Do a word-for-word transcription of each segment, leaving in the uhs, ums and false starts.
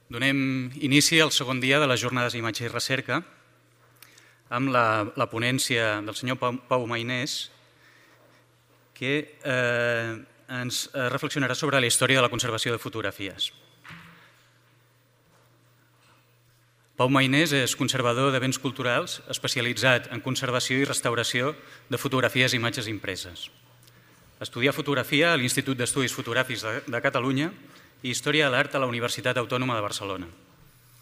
Donem inici al segon dia de les jornades d'imatge i recerca amb la, la ponència del senyor Pau, Pau Mainés, que eh, ens reflexionarà sobre la història de la conservació de fotografies. Pau Mainés és conservador de béns culturals especialitzat en conservació i restauració de fotografies i imatges impreses. Estudià fotografia a l'Institut d'Estudis Fotogràfics de, de Catalunya i Història de l'Art a la Universitat Autònoma de Barcelona.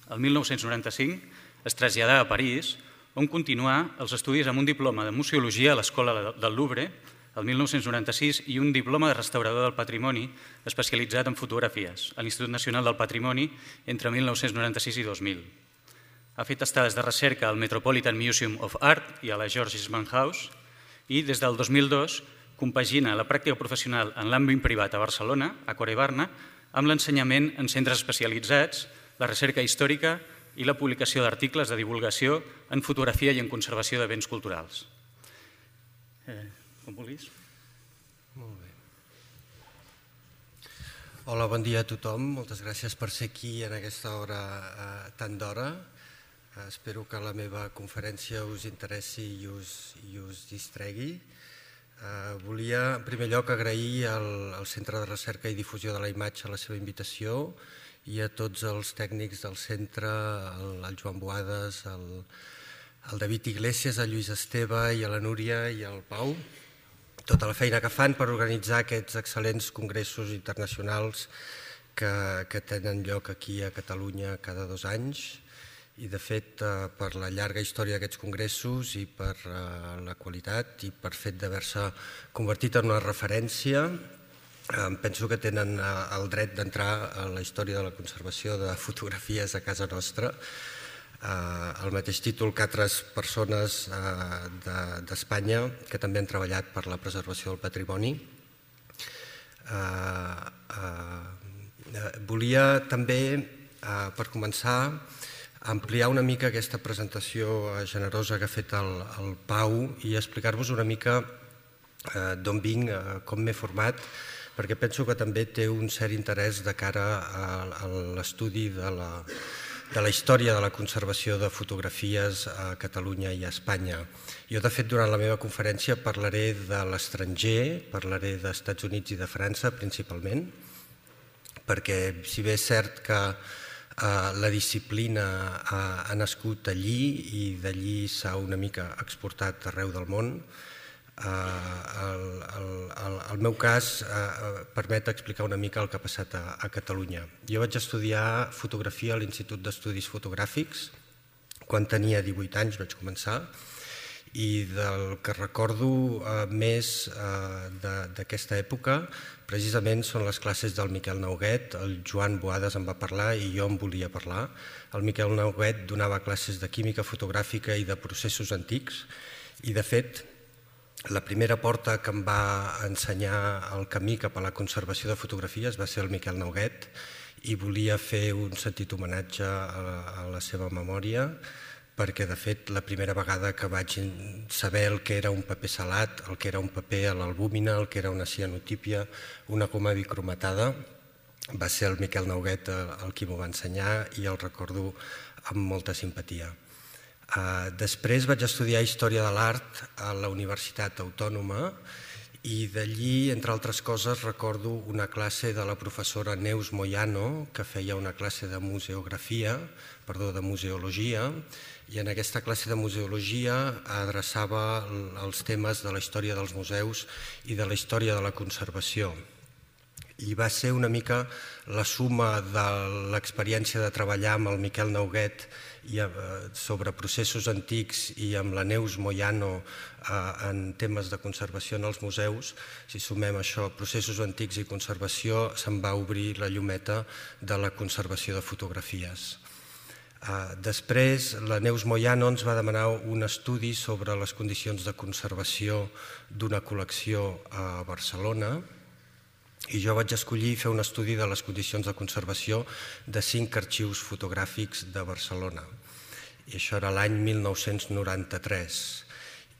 El mil nou-cents noranta-cinc es traslladà a París, on continuà els estudis amb un diploma de museologia a l'Escola del Louvre, el mil nou-cents noranta-sis, i un diploma de restaurador del patrimoni especialitzat en fotografies a l'Institut Nacional del Patrimoni entre mil nou-cents noranta-sis i dos mil. Ha fet estades de recerca al Metropolitan Museum of Art i a la George Eastman House i des del dos mil dos compagina la pràctica professional en l'àmbit privat a Barcelona, a Corebarna, amb l'ensenyament en centres especialitzats, la recerca històrica i la publicació d'articles de divulgació en fotografia i en conservació de béns culturals. Eh, com vulguis. Molt bé. Hola, bon dia a tothom. Moltes gràcies per ser aquí en aquesta hora eh, tan d'hora. Eh, espero que la meva conferència us interessi i us, i us distregui. Uh, volia, en primer lloc, agrair al, al Centre de Recerca i Difusió de la Imatge la seva invitació i a tots els tècnics del centre, el, el Joan Boades, el, el David Iglesias, el Lluís Esteve i a la Núria i al Pau, tota la feina que fan per organitzar aquests excel·lents congressos internacionals que, que tenen lloc aquí a Catalunya cada dos anys. I, de fet, per la llarga història d'aquests congressos i per la qualitat i per fet d'haver-se convertit en una referència, penso que tenen el dret d'entrar a la història de la conservació de fotografies a casa nostra, el mateix títol que altres persones d'Espanya que també han treballat per la preservació del patrimoni. Volia també, per començar, ampliar una mica aquesta presentació generosa que ha fet el, el Pau i explicar-vos una mica eh, d'on vinc, eh, com m'he format, perquè penso que també té un cert interès de cara a, a l'estudi de la, de la història de la conservació de fotografies a Catalunya i a Espanya. Jo, de fet, durant la meva conferència parlaré de l'estranger, parlaré dels Estats Units i de França, principalment, perquè si bé és cert que Uh, la disciplina uh, ha nascut allí i d'allí s'ha una mica exportat arreu del món. Uh, el, el, el, el meu cas uh, permet explicar una mica el que ha passat a, a Catalunya. Jo vaig estudiar fotografia a l'Institut d'Estudis Fotogràfics. Quan tenia divuit anys vaig començar i del que recordo uh, més uh, d'aquesta època precisament són les classes del Miquel Nauguet. El Joan Boades en va parlar i jo en volia parlar. El Miquel Nauguet donava classes de química fotogràfica i de processos antics i, de fet, la primera porta que em va ensenyar el camí cap a la conservació de fotografies va ser el Miquel Nauguet i volia fer un sentit homenatge a la seva memòria perquè, de fet, la primera vegada que vaig saber el que era un paper salat, el que era un paper a l'albúmina, el que era una cianotípia, una goma bicromatada, va ser el Miquel Nauguet el qui m'ho va ensenyar i el recordo amb molta simpatia. Després vaig estudiar Història de l'Art a la Universitat Autònoma i d'allí, entre altres coses, recordo una classe de la professora Neus Moyano que feia una classe de museografia, perdó, de museologia, i en aquesta classe de museologia adreçava els temes de la història dels museus i de la història de la conservació. I va ser una mica la suma de l'experiència de treballar amb el Miquel Nauguet sobre processos antics i amb la Neus Moyano en temes de conservació en els museus. Si sumem això, processos antics i conservació, se'n va obrir la llumeta de la conservació de fotografies. Després, la Neus Moyano ens va demanar un estudi sobre les condicions de conservació d'una col·lecció a Barcelona i jo vaig escollir fer un estudi de les condicions de conservació de cinc arxius fotogràfics de Barcelona. I això era l'any mil nou-cents noranta-tres.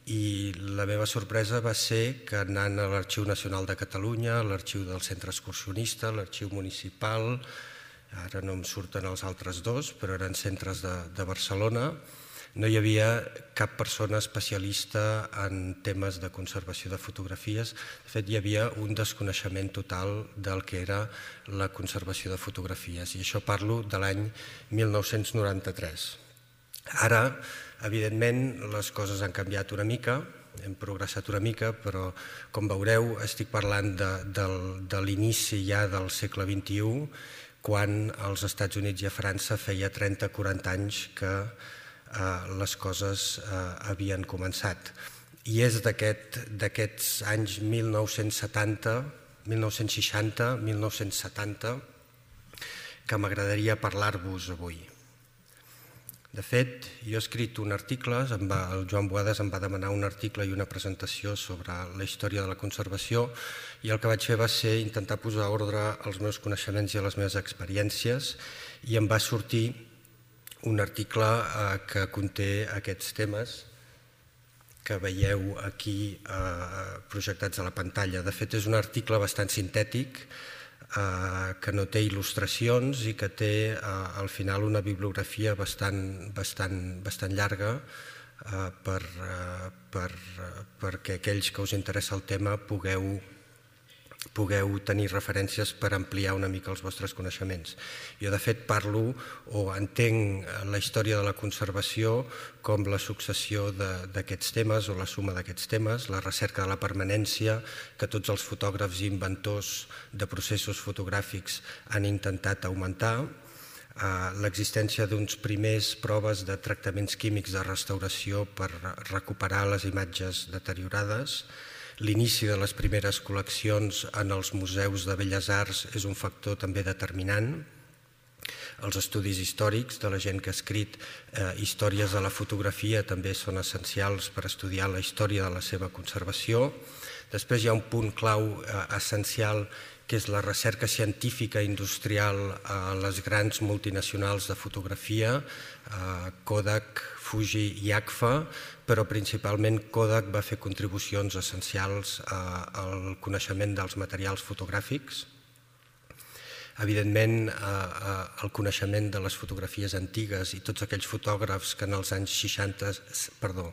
I la meva sorpresa va ser que anant a l'Arxiu Nacional de Catalunya, l'Arxiu del Centre Excursionista, l'Arxiu Municipal, ara no em surten els altres dos, però eren centres de, de Barcelona. No hi havia cap persona especialista en temes de conservació de fotografies. De fet, hi havia un desconeixement total del que era la conservació de fotografies, i això parlo de l'any mil nou-cents noranta-tres. Ara, evidentment, les coses han canviat una mica, hem progressat una mica, però, com veureu, estic parlant de, de, de l'inici ja del segle vint-i-u, quan als Estats Units i a França feia trenta o quaranta anys que eh, les coses eh, havien començat. I és d'aquests anys mil nou-cents setanta, mil nou-cents seixanta, mil nou-cents setanta, que m'agradaria parlar-vos avui. De fet, jo he escrit un article, el Joan Boades em va demanar un article i una presentació sobre la història de la conservació, i el que vaig fer va ser intentar posar ordre als meus coneixements i a les meves experiències, i em va sortir un article que conté aquests temes que veieu aquí projectats a la pantalla. De fet, és un article bastant sintètic, que no té il·lustracions i que té al final una bibliografia bastant, bastant, bastant llarga per, per, perquè aquells que us interessa el tema pugueu, pugueu tenir referències per ampliar una mica els vostres coneixements. Jo, de fet, parlo o entenc la història de la conservació com la successió d'aquests temes o la suma d'aquests temes, la recerca de la permanència que tots els fotògrafs i inventors de processos fotogràfics han intentat augmentar, l'existència d'uns primers proves de tractaments químics de restauració per recuperar les imatges deteriorades. L'inici de les primeres col·leccions en els museus de Belles Arts és un factor també determinant. Els estudis històrics de la gent que ha escrit històries de la fotografia també són essencials per estudiar la història de la seva conservació. Després hi ha un punt clau essencial, que és la recerca científica i industrial a les grans multinacionals de fotografia, Kodak, Fuji i Agfa, però principalment Kodak va fer contribucions essencials al coneixement dels materials fotogràfics. Evidentment, el coneixement de les fotografies antigues i tots aquells fotògrafs que en els anys seixanta, perdó,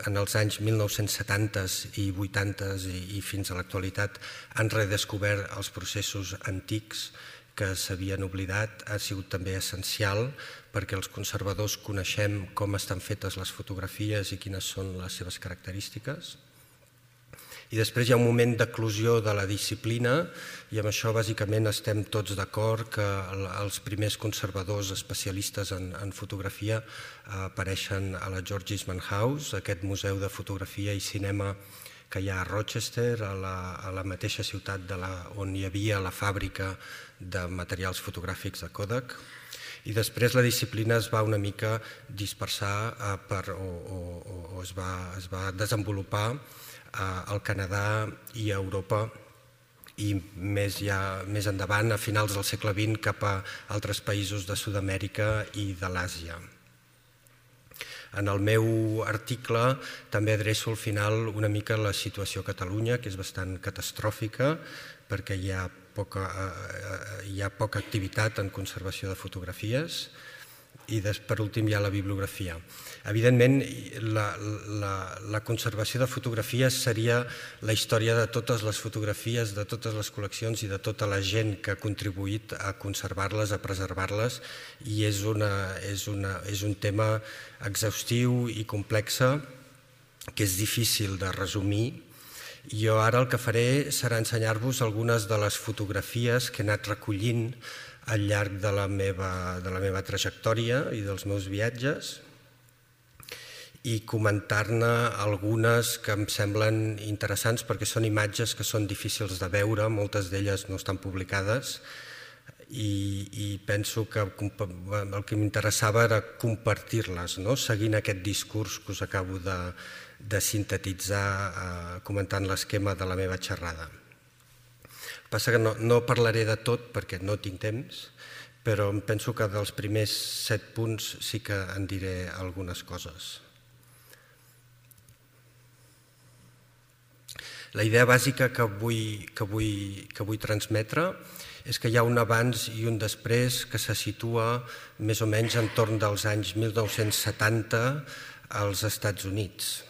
en els anys mil nou-cents setanta i vuitanta i fins a l'actualitat han redescobert els processos antics que s'havien oblidat. Ha sigut també essencial perquè els conservadors coneixem com estan fetes les fotografies i quines són les seves característiques. I després hi ha un moment d'eclosió de la disciplina, i amb això bàsicament estem tots d'acord que els primers conservadors especialistes en fotografia apareixen a la George Eastman House, aquest museu de fotografia i cinema que hi ha a Rochester, a la mateixa ciutat on hi havia la fàbrica de materials fotogràfics de Kodak. I després la disciplina es va una mica dispersar o es va desenvolupar al Canadà i a Europa, i més endavant, a finals del segle vint, cap a altres països de Sud-amèrica i de l'Àsia. En el meu article també adreço al final una mica la situació a Catalunya, que és bastant catastròfica, perquè hi ha poca, hi ha poca activitat en conservació de fotografies, i per últim hi ha la bibliografia. Evidentment, la, la, la conservació de fotografies seria la història de totes les fotografies, de totes les col·leccions i de tota la gent que ha contribuït a conservar-les, a preservar-les, i és, una, és, una, és un tema exhaustiu i complex que és difícil de resumir. Jo ara el que faré serà ensenyar-vos algunes de les fotografies que he anat recollint al llarg de la meva, de la meva trajectòria i dels meus viatges, i comentar-ne algunes que em semblen interessants perquè són imatges que són difícils de veure, moltes d'elles no estan publicades, i, i penso que el que m'interessava era compartir-les, no? Seguint aquest discurs que us acabo de, de sintetitzar eh, comentant l'esquema de la meva xerrada. Passa que no, no parlaré de tot perquè no tinc temps, però em penso que dels primers set punts sí que en diré algunes coses. La idea bàsica que vull, que vull, que vull transmetre és que hi ha un abans i un després que se situa més o menys entorn dels anys mil nou-cents setanta als Estats Units.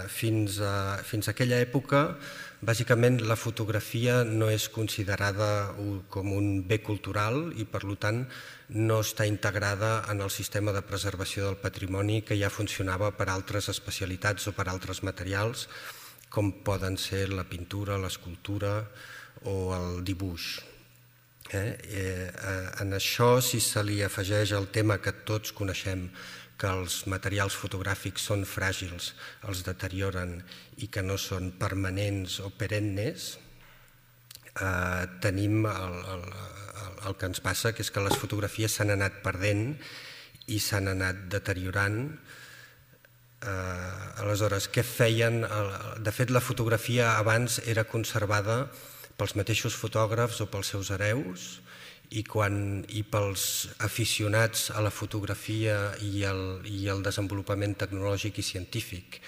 Fins a, fins a aquella època, bàsicament la fotografia no és considerada com un bé cultural i per tant no està integrada en el sistema de preservació del patrimoni que ja funcionava per altres especialitats o per altres materials com poden ser la pintura, l'escultura o el dibuix. Eh? Eh, en això, si se li afegeix el tema que tots coneixem, que els materials fotogràfics són fràgils, els deterioren i que no són permanents o perennes, eh, tenim el, el, el que ens passa, que és que les fotografies s'han anat perdent i s'han anat deteriorant. Eh, aleshores, què feien? De fet, la fotografia abans era conservada pels mateixos fotògrafs o pels seus hereus i, quan, i pels aficionats a la fotografia i el, i el desenvolupament tecnològic i científic,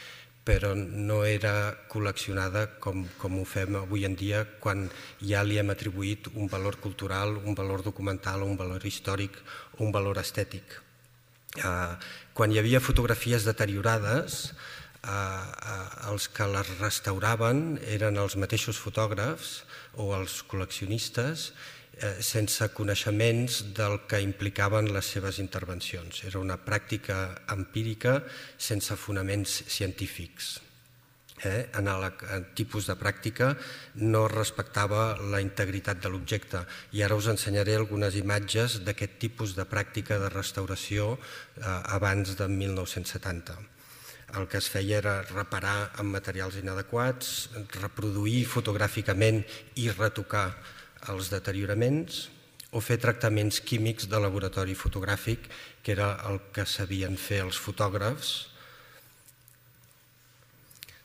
però no era col·leccionada com, com ho fem avui en dia quan ja li hem atribuït un valor cultural, un valor documental, un valor històric o un valor estètic. Eh, quan hi havia fotografies deteriorades, eh, eh, els que les restauraven eren els mateixos fotògrafs o els col·leccionistes sense coneixements del que implicaven les seves intervencions. Era una pràctica empírica sense fonaments científics. Eh? En el tipus de pràctica no respectava la integritat de l'objecte i ara us ensenyaré algunes imatges d'aquest tipus de pràctica de restauració eh, abans de mil nou-cents setanta. El que es feia era reparar amb materials inadequats, reproduir fotogràficament i retocar els deterioraments o fer tractaments químics de laboratori fotogràfic, que era el que sabien fer els fotògrafs.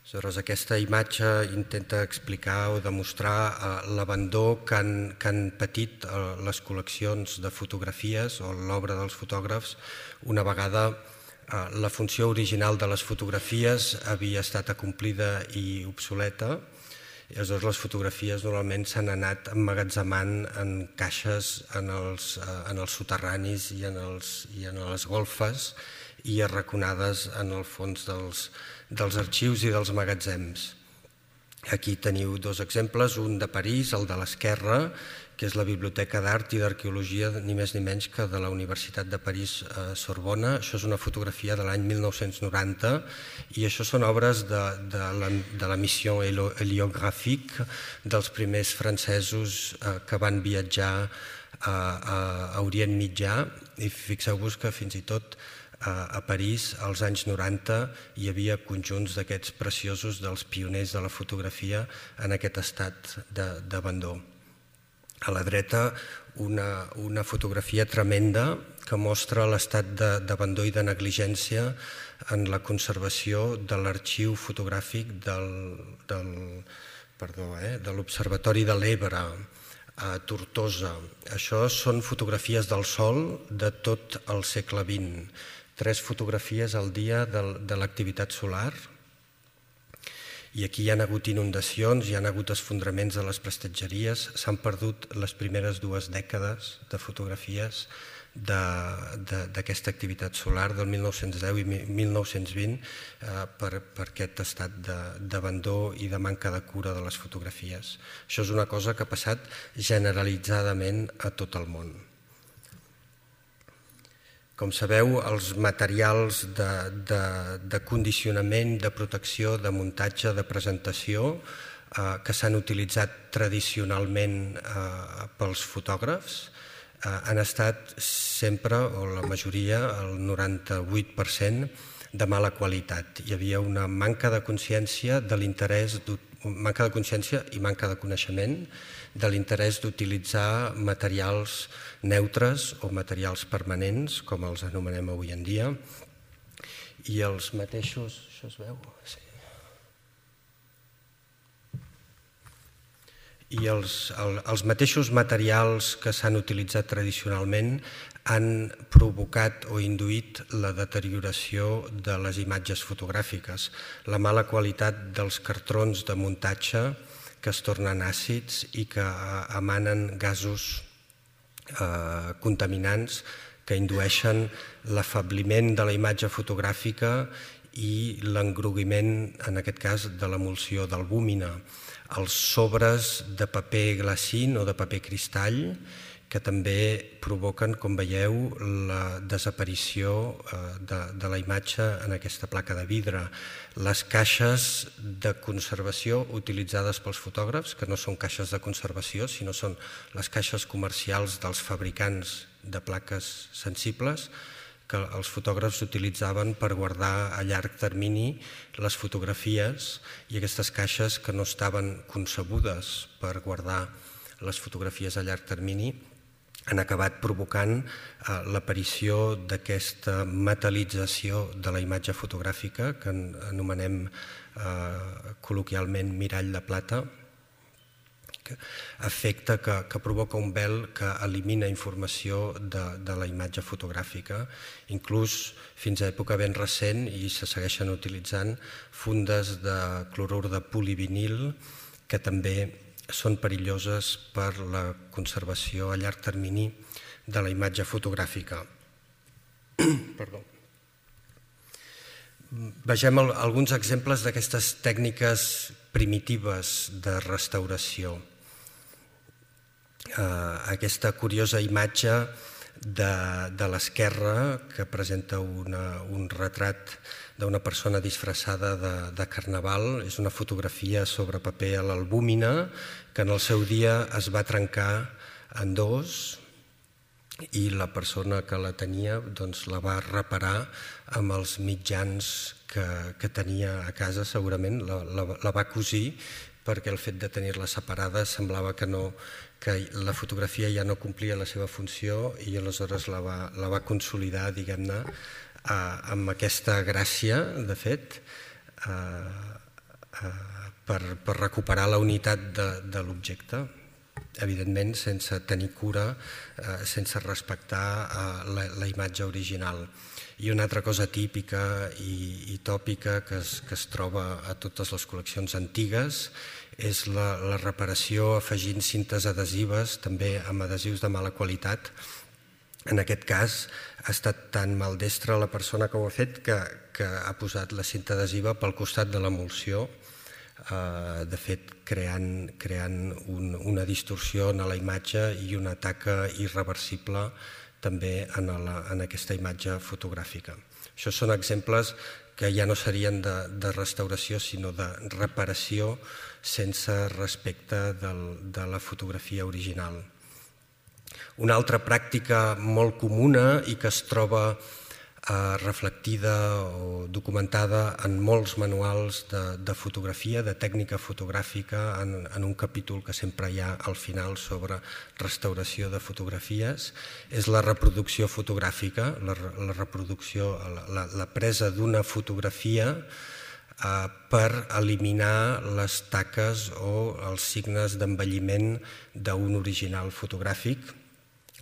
Aleshores, aquesta imatge intenta explicar o demostrar l'abandó que han, que han patit les col·leccions de fotografies o l'obra dels fotògrafs una vegada la funció original de les fotografies havia estat acomplida i obsoleta. I aleshores les fotografies normalment s'han anat emmagatzemant en caixes en els, en els soterranis i en, els, i en les golfes i arraconades en el fons dels, dels arxius i dels magatzems. Aquí teniu dos exemples, un de París, el de l'esquerra, que és la Biblioteca d'Art i d'Arqueologia, ni més ni menys que de la Universitat de París eh, Sorbona. Això és una fotografia de l'any mil nou-cents noranta i això són obres de, de, la, de la missió heliogràfica dels primers francesos eh, que van viatjar a, a, a Orient Mitjà i fixeu-vos que fins i tot a París, als anys noranta, hi havia conjunts d'aquests preciosos dels pioners de la fotografia en aquest estat d'abandó. A la dreta, una, una fotografia tremenda que mostra l'estat d'abandó i de negligència en la conservació de l'arxiu fotogràfic del, del, perdó, eh, de l'Observatori de l'Ebre, a Tortosa. Això són fotografies del sol de tot el segle vint. Tres fotografies al dia de, de l'activitat solar. I aquí hi ha hagut inundacions, hi ha hagut esfondraments de les prestatgeries, s'han perdut les primeres dues dècades de fotografies d'aquesta activitat solar del mil nou-cents deu i mil nou-cents vint eh, per, per aquest estat d'abandó i de manca de cura de les fotografies. Això és una cosa que ha passat generalitzadament a tot el món. Com sabeu, els materials de, de, de condicionament, de protecció, de muntatge, de presentació eh, que s'han utilitzat tradicionalment eh, pels fotògrafs eh, han estat sempre, o la majoria, el noranta-vuit per cent, de mala qualitat. Hi havia una manca de consciència de l'interès, manca de consciència i manca de coneixement de l'interès d'utilitzar materials neutres o materials permanents, com els anomenem avui en dia, i els mateixos... Això es veu? Sí. I els, el, els mateixos materials que s'han utilitzat tradicionalment han provocat o induït la deterioració de les imatges fotogràfiques, la mala qualitat dels cartrons de muntatge que es tornen àcids i que emanen gasos eh, contaminants que indueixen l'afabliment de la imatge fotogràfica i l'engroguiment, en aquest cas, de l'emulsió d'albúmina. Els sobres de paper glacín o de paper cristall, que també provoquen, com veieu, la desaparició de, de la imatge en aquesta placa de vidre. Les caixes de conservació utilitzades pels fotògrafs, que no són caixes de conservació, sinó són les caixes comercials dels fabricants de plaques sensibles, que els fotògrafs utilitzaven per guardar a llarg termini les fotografies, i aquestes caixes que no estaven concebudes per guardar les fotografies a llarg termini han acabat provocant eh, l'aparició d'aquesta metal·lització de la imatge fotogràfica que anomenem eh, col·loquialment mirall de plata, efecte que, que provoca un vel que elimina informació de, de la imatge fotogràfica, inclús fins a època ben recent, i se segueixen utilitzant fundes de clorur de polivinil que també són perilloses per la conservació a llarg termini de la imatge fotogràfica. Perdó. Vegem alguns exemples d'aquestes tècniques primitives de restauració. Aquesta curiosa imatge de, de l'esquerra que presenta una, un retrat d'una persona disfressada de, de carnaval. És una fotografia sobre paper a l'albúmina que en el seu dia es va trencar en dos i la persona que la tenia doncs, la va reparar amb els mitjans que, que tenia a casa, segurament la, la, la va cosir, perquè el fet de tenir-la separada semblava que, no, que la fotografia ja no complia la seva funció, i aleshores la va, la va consolidar, diguem-ne, amb aquesta gràcia, de fet, per, per recuperar la unitat de, de l'objecte, evidentment sense tenir cura, sense respectar la, la imatge original. I una altra cosa típica i, i tòpica que es, que es troba a totes les col·leccions antigues és la, la reparació afegint cintes adhesives, també amb adhesius de mala qualitat. En aquest cas ha estat tan maldestra la persona que ho ha fet que, que ha posat la cinta adhesiva pel costat de l'emulsió, eh, de fet creant, creant un, una distorsió en la imatge i una taca irreversible també en, la, en aquesta imatge fotogràfica. Això són exemples que ja no serien de, de restauració, sinó de reparació sense respecte del, de la fotografia original. Una altra pràctica molt comuna i que es troba eh, reflectida o documentada en molts manuals de, de fotografia, de tècnica fotogràfica, en, en un capítol que sempre hi ha al final sobre restauració de fotografies, és la reproducció fotogràfica, la, la reproducció, la, la presa d'una fotografia eh, per eliminar les taques o els signes d'envelliment d'un original fotogràfic.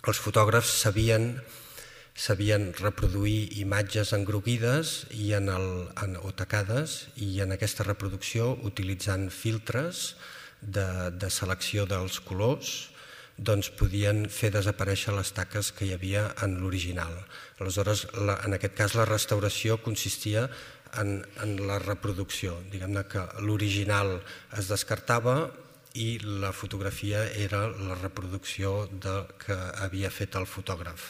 Els fotògrafs sabien, sabien reproduir imatges engroguides i en el, en, o tacades, i en aquesta reproducció, utilitzant filtres de, de selecció dels colors, doncs podien fer desaparèixer les taques que hi havia en l'original. Aleshores, la, en aquest cas, la restauració consistia en, en la reproducció. Diguem-ne que l'original es descartava i la fotografia era la reproducció del que havia fet el fotògraf.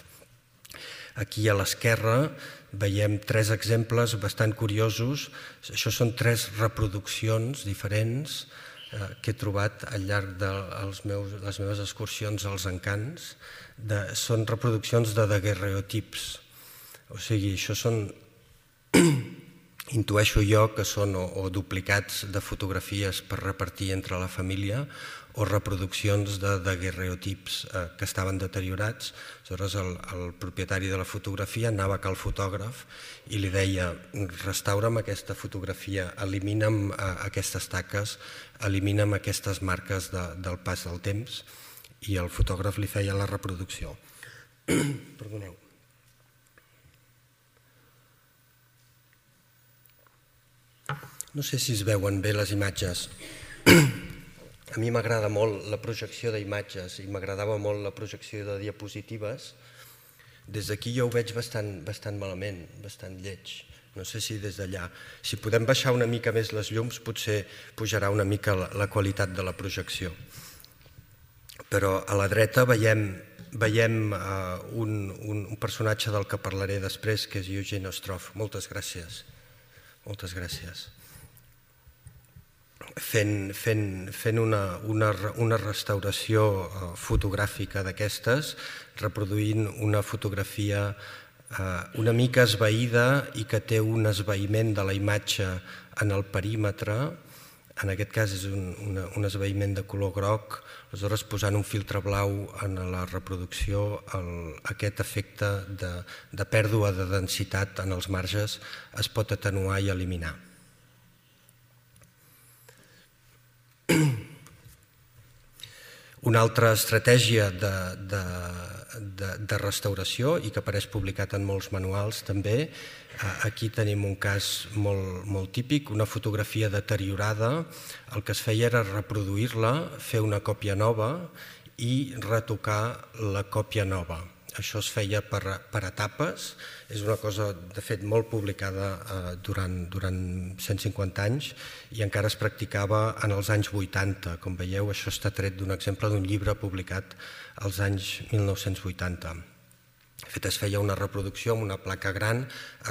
Aquí a l'esquerra veiem tres exemples bastant curiosos. Això són tres reproduccions diferents eh, que he trobat al llarg de els meus, les meves excursions als encants. De, són reproduccions de daguerreotips. O sigui, això són... Intueixo jo que són o, o duplicats de fotografies per repartir entre la família o reproduccions de daguerreotips eh, que estaven deteriorats. Aleshores el, el propietari de la fotografia anava al fotògraf i li deia: restaura'm aquesta fotografia, elimina'm eh, aquestes taques, elimina'm aquestes marques de, del pas del temps, i el fotògraf li feia la reproducció. Perdoneu. No sé si es veuen bé les imatges. a mi m'agrada molt la projecció d'imatges i m'agradava molt la projecció de diapositives. Des d'aquí jo ho veig bastant, bastant malament, bastant lleig. No sé si des d'allà. Si podem baixar una mica més les llums, potser pujarà una mica la, la qualitat de la projecció. Però a la dreta veiem, veiem uh, un, un, un personatge del que parlaré després, que és Eugene Ostrov. Moltes gràcies. Moltes gràcies. Fent, fent, fent una, una, una restauració uh, fotogràfica d'aquestes, reproduint una fotografia una mica esvaïda i que té un esvaïment de la imatge en el perímetre, en aquest cas és un, una, un esvaïment de color groc, aleshores posant un filtre blau en la reproducció, el, aquest efecte de, de pèrdua de densitat en els marges es pot atenuar i eliminar. Una altra estratègia de, de, de, de restauració i que apareix publicat en molts manuals també, aquí tenim un cas molt, molt típic, una fotografia deteriorada, el que es feia era reproduir-la, fer una còpia nova i retocar la còpia nova. Això es feia per, per etapes, és una cosa de fet molt publicada eh, durant, durant cent cinquanta anys i encara es practicava en els anys vuitanta. Com veieu, això està tret d'un exemple d'un llibre publicat als anys mil nou-cents vuitanta. De fet, es feia una reproducció amb una placa gran,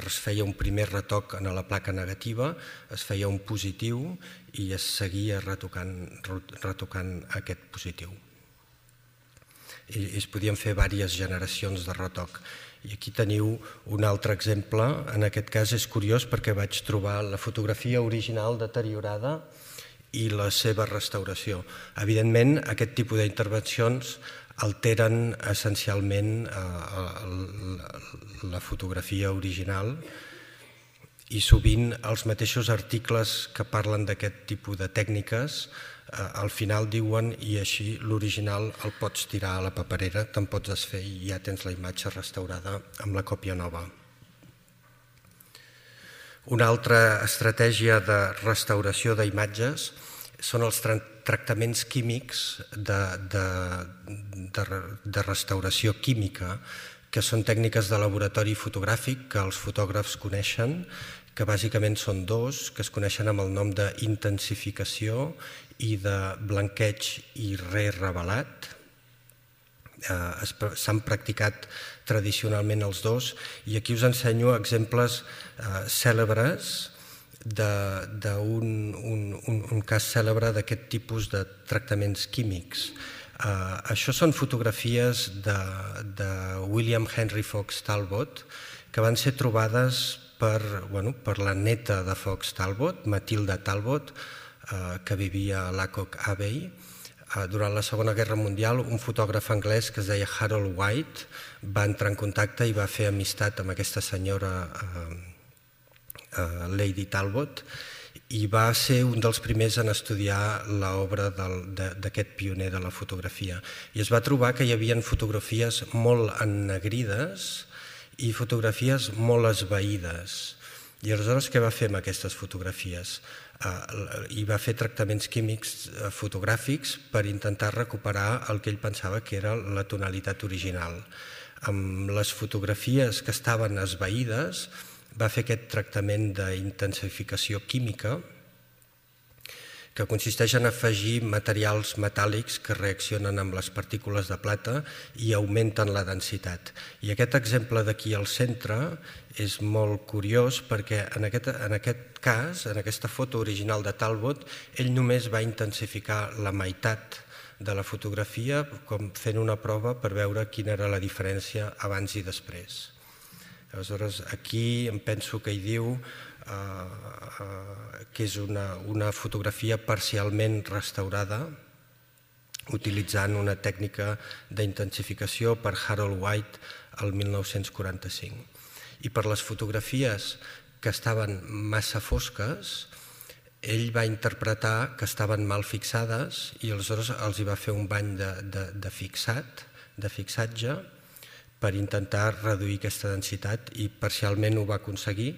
es feia un primer retoc en la placa negativa, es feia un positiu i es seguia retocant, retocant aquest positiu. I es podien fer diverses generacions de retoc. I aquí teniu un altre exemple, en aquest cas és curiós perquè vaig trobar la fotografia original deteriorada i la seva restauració. Evidentment, aquest tipus d'intervencions alteren essencialment la fotografia original i sovint els mateixos articles que parlen d'aquest tipus de tècniques al final diuen i així l'original el pots tirar a la paperera, te'n pots desfer i ja tens la imatge restaurada amb la còpia nova. Una altra estratègia de restauració d'imatges són els tractaments químics de, de, de, de restauració química, que són tècniques de laboratori fotogràfic que els fotògrafs coneixen, que bàsicament són dos, que es coneixen amb el nom d'intensificació i de blanqueig i re-revelat. Eh, S'han practicat tradicionalment els dos i aquí us ensenyo exemples eh, cèlebres d'un un, un, un cas cèlebre d'aquest tipus de tractaments químics. Uh, això són fotografies de, de William Henry Fox Talbot que van ser trobades per, bueno, per la neta de Fox Talbot, Matilda Talbot, uh, que vivia a Lacock Abbey. Uh, durant la Segona Guerra Mundial, un fotògraf anglès que es deia Harold White va entrar en contacte i va fer amistat amb aquesta senyora uh, uh, Lady Talbot i va ser un dels primers en estudiar l'obra d'aquest pioner de la fotografia. I es va trobar que hi havia fotografies molt ennegrides i fotografies molt esvaïdes. I aleshores què va fer amb aquestes fotografies? I va fer tractaments químics fotogràfics per intentar recuperar el que ell pensava que era la tonalitat original. Amb les fotografies que estaven esvaïdes va fer aquest tractament d'intensificació química que consisteix en afegir materials metàl·lics que reaccionen amb les partícules de plata i augmenten la densitat. I aquest exemple d'aquí al centre és molt curiós perquè en aquest, en aquest cas, en aquesta foto original de Talbot, ell només va intensificar la meitat de la fotografia com fent una prova per veure quina era la diferència abans i després. Aleshores, aquí em penso que hi diu eh, eh, que és una, una fotografia parcialment restaurada utilitzant una tècnica d'intensificació per Harold White el mil nou-cents quaranta-cinc. I per les fotografies que estaven massa fosques, ell va interpretar que estaven mal fixades i aleshores els hi va fer un bany de, de, de fixat, de fixatge, per intentar reduir aquesta densitat i parcialment ho va aconseguir,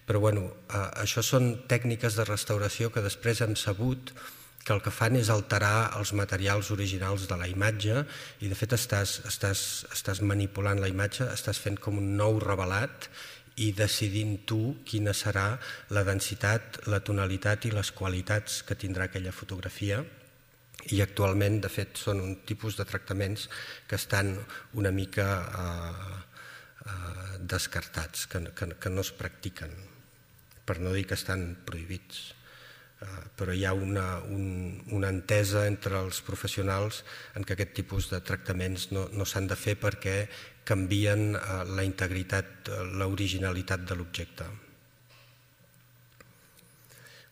però bueno, eh, això són tècniques de restauració que després hem sabut que el que fan és alterar els materials originals de la imatge i de fet estàs, estàs, estàs manipulant la imatge, estàs fent com un nou revelat i decidint tu quina serà la densitat, la tonalitat i les qualitats que tindrà aquella fotografia. I actualment, de fet, són un tipus de tractaments que estan una mica eh, eh, descartats, que, que, que no es practiquen, per no dir que estan prohibits. Uh, però hi ha una, un, una entesa entre els professionals en què aquest tipus de tractaments no, no s'han de fer perquè canvien uh, la integritat, uh, l'originalitat de l'objecte.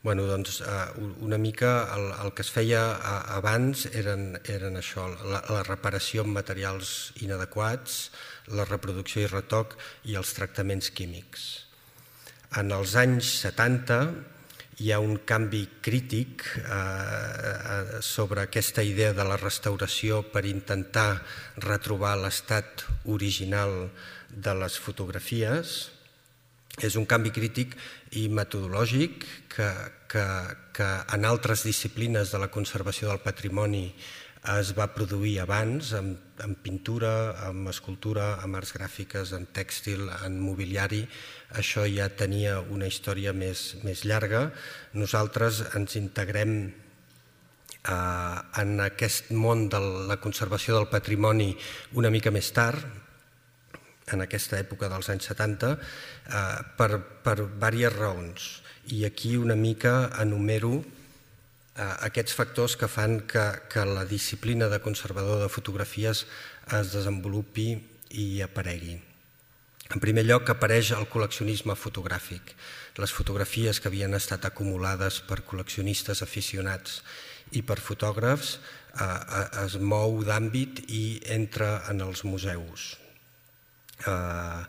Bueno, doncs, uh, una mica el, el que es feia uh, abans eren, eren això, la, la reparació amb materials inadequats, la reproducció i retoc i els tractaments químics. En els anys setanta hi ha un canvi crític eh, sobre aquesta idea de la restauració per intentar retrobar l'estat original de les fotografies. És un canvi crític i metodològic que, que, que en altres disciplines de la conservació del patrimoni es va produir abans, en, en pintura, en escultura, en arts gràfiques, en tèxtil, en mobiliari. Això ja tenia una història més, més llarga. Nosaltres ens integrem eh, en aquest món de la conservació del patrimoni una mica més tard, en aquesta època dels anys setanta, eh, per, per diverses raons. I aquí una mica enumero aquests factors que fan que, que la disciplina de conservador de fotografies es desenvolupi i aparegui. En primer lloc, apareix el col·leccionisme fotogràfic. Les fotografies que havien estat acumulades per col·leccionistes aficionats i per fotògrafs eh, es mou d'àmbit i entra en els museus. Eh,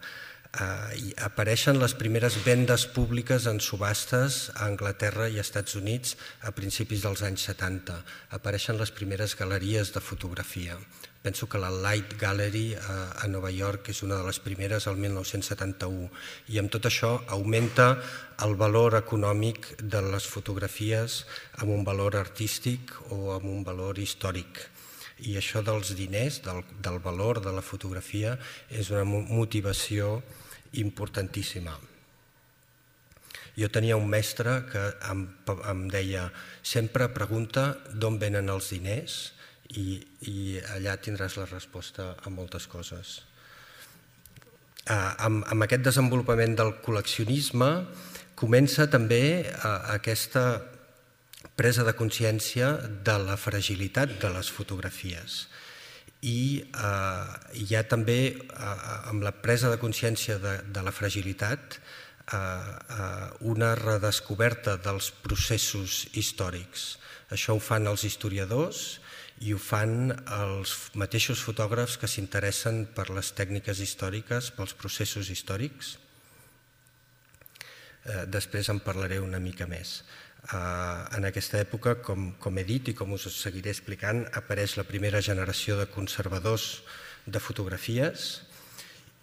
Uh, apareixen les primeres vendes públiques en subhastes a Anglaterra i Estats Units a principis dels anys setanta. Apareixen les primeres galeries de fotografia. Penso que la Light Gallery uh, a Nova York és una de les primeres al mil nou-cents setanta-u i amb tot això augmenta el valor econòmic de les fotografies amb un valor artístic o amb un valor històric. I això dels diners, del, del valor de la fotografia, és una motivació importantíssima. Jo tenia un mestre que em, em deia sempre pregunta d'on venen els diners i, i allà tindràs la resposta a moltes coses. Uh, amb, amb aquest desenvolupament del col·leccionisme comença també uh, aquesta presa de consciència de la fragilitat de les fotografies. I eh, hi ha també, eh, amb la presa de consciència de, de la fragilitat, eh, eh, una redescoberta dels processos històrics. Això ho fan els historiadors i ho fan els mateixos fotògrafs que s'interessen per les tècniques històriques, pels processos històrics. Eh, després en parlaré una mica més. En aquesta època, com, com he dit i com us seguiré explicant, apareix la primera generació de conservadors de fotografies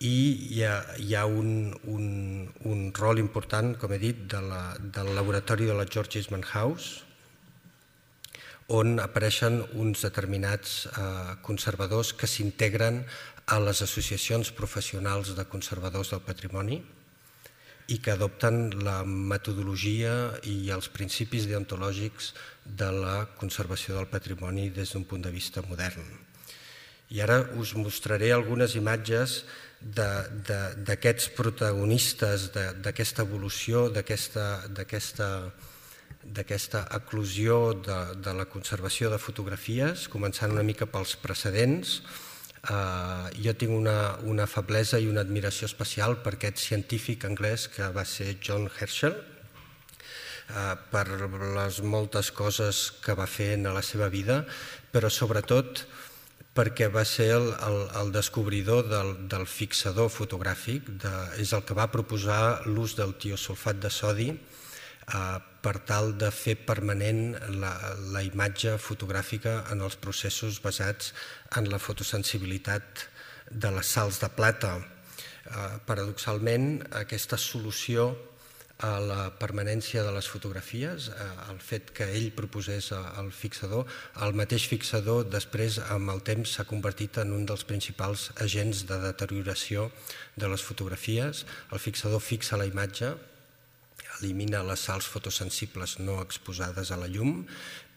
i hi ha, hi ha un, un, un rol important, com he dit, de la, del laboratori de la George Eastman House, on apareixen uns determinats eh, conservadors que s'integren a les associacions professionals de conservadors del patrimoni i que adopten la metodologia i els principis deontològics de la conservació del patrimoni des d'un punt de vista modern. I ara us mostraré algunes imatges d'aquests protagonistes, d'aquesta evolució, d'aquesta eclosió de, de la conservació de fotografies, començant una mica pels precedents. Uh, jo tinc una, una feblesa i una admiració especial per aquest científic anglès que va ser John Herschel, uh, per les moltes coses que va fer en la seva vida, però sobretot perquè va ser el, el, el descobridor del, del fixador fotogràfic, de, és el que va proposar l'ús del tiosulfat de sodi eh, per tal de fer permanent la, la imatge fotogràfica en els processos basats en la fotosensibilitat de les sals de plata. Eh, paradoxalment, aquesta solució a la permanència de les fotografies, el fet que ell proposés el fixador. El mateix fixador després amb el temps s'ha convertit en un dels principals agents de deterioració de les fotografies. El fixador fixa la imatge, elimina les sals fotosensibles no exposades a la llum,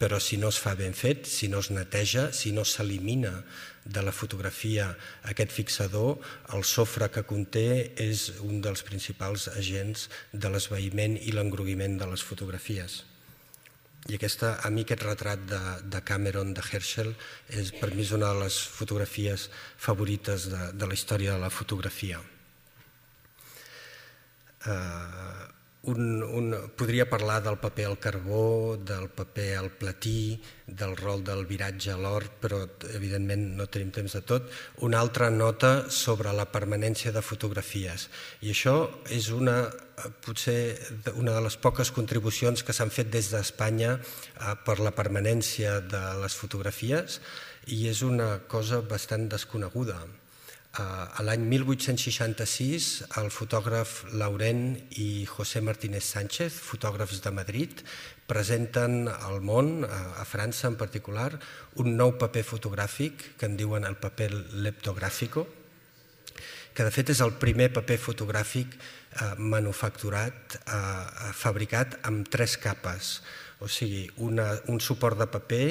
però si no es fa ben fet, si no es neteja, si no s'elimina de la fotografia aquest fixador, el sofre que conté és un dels principals agents de l'esvaïment i l'engroguiment de les fotografies. I aquesta, a mi aquest retrat de, de Cameron, de Herschel, és, per mi és una de les fotografies favorites de, de la història de la fotografia. Uh, Un, un, podria parlar del paper al carbó, del paper al platí, del rol del viratge a l'or, però evidentment no tenim temps de tot. Una altra nota sobre la permanència de fotografies. I això és una, potser una de les poques contribucions que s'han fet des d'Espanya per la permanència de les fotografies, i és una cosa bastant desconeguda. A l'any mil vuit-cents seixanta-sis, el fotògraf Laurent i José Martínez Sánchez, fotògrafs de Madrid, presenten al món, a França en particular, un nou paper fotogràfic que en diuen el paper leptográfico, que de fet és el primer paper fotogràfic manufacturat, fabricat amb tres capes. O sigui, una, un suport de paper,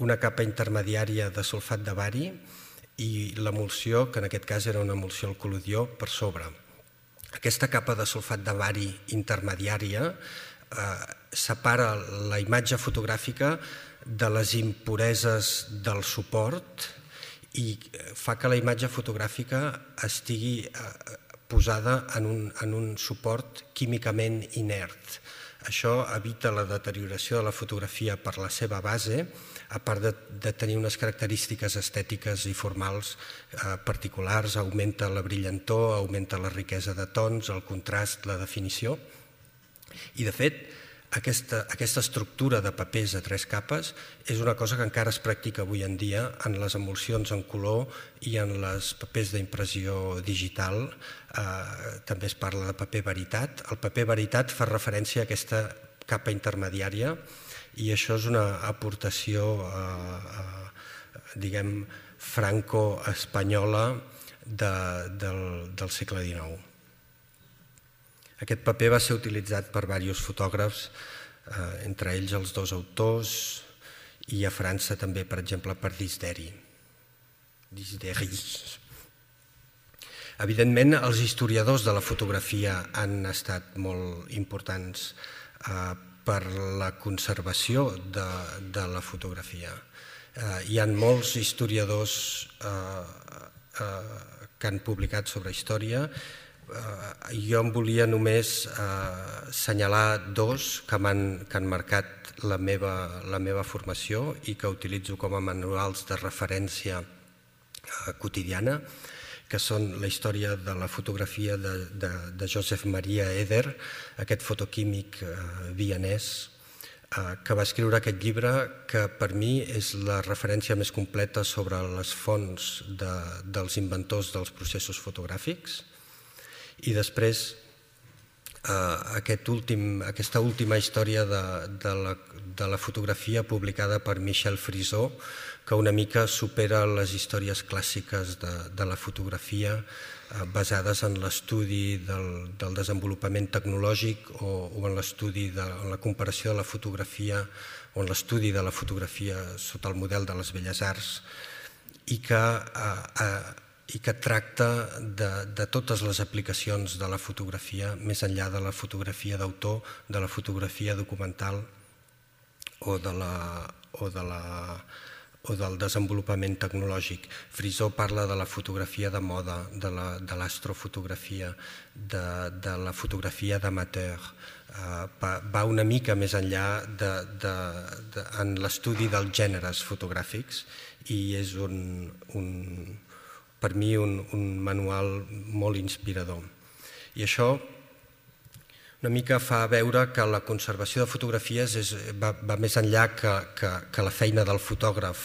una capa intermediària de sulfat de bari, i l'emulsió, que en aquest cas era una emulsió al col·lodió, per sobre. Aquesta capa de sulfat de bari intermediària eh, separa la imatge fotogràfica de les impureses del suport i fa que la imatge fotogràfica estigui eh, posada en un, en un suport químicament inert. Això evita la deterioració de la fotografia per la seva base, a part de, de tenir unes característiques estètiques i formals eh, particulars, augmenta la brillantor, augmenta la riquesa de tons, el contrast, la definició. I de fet, aquesta, aquesta estructura de papers a tres capes és una cosa que encara es practica avui en dia en les emulsions en color i en les papers d'impressió digital. Eh, també es parla de paper veritat. El paper veritat fa referència a aquesta capa intermediària, i això és una aportació, eh, eh, diguem, franco-espanyola de, del, del segle dinou. Aquest paper va ser utilitzat per diversos fotògrafs, eh, entre ells els dos autors, i a França també, per exemple, per Disderi. Disderi. Evidentment, els historiadors de la fotografia han estat molt importants eh, per la conservació de, de la fotografia. Eh, hi ha molts historiadors eh, eh, que han publicat sobre història. Eh, jo em volia només eh, assenyalar dos que m'han que han marcat la meva, la meva formació i que utilitzo com a manuals de referència eh, quotidiana, que són la història de la fotografia de, de, de Joseph Maria Eder, aquest fotoquímic eh, vienès, eh, que va escriure aquest llibre que per mi és la referència més completa sobre les fonts de, dels inventors dels processos fotogràfics. I després eh, aquest últim, aquesta última història de, de, la, de la fotografia publicada per Michel Frisot, que una mica supera les històries clàssiques de, de la fotografia eh, basades en l'estudi del, del desenvolupament tecnològic o, o en l'estudi de en la comparació de la fotografia o en l'estudi de la fotografia sota el model de les belles arts i que, eh, eh, i que tracta de, de totes les aplicacions de la fotografia més enllà de la fotografia d'autor, de la fotografia documental o de la, o de la o del desenvolupament tecnològic. Frisot parla de la fotografia de moda, de l'astrofotografia, de, de la fotografia d'amateur. Uh, va una mica més enllà de, de, de, en l'estudi dels gèneres fotogràfics i és un, un, per mi un, un manual molt inspirador. I això una mica fa veure que la conservació de fotografies és, va, va més enllà que, que, que la feina del fotògraf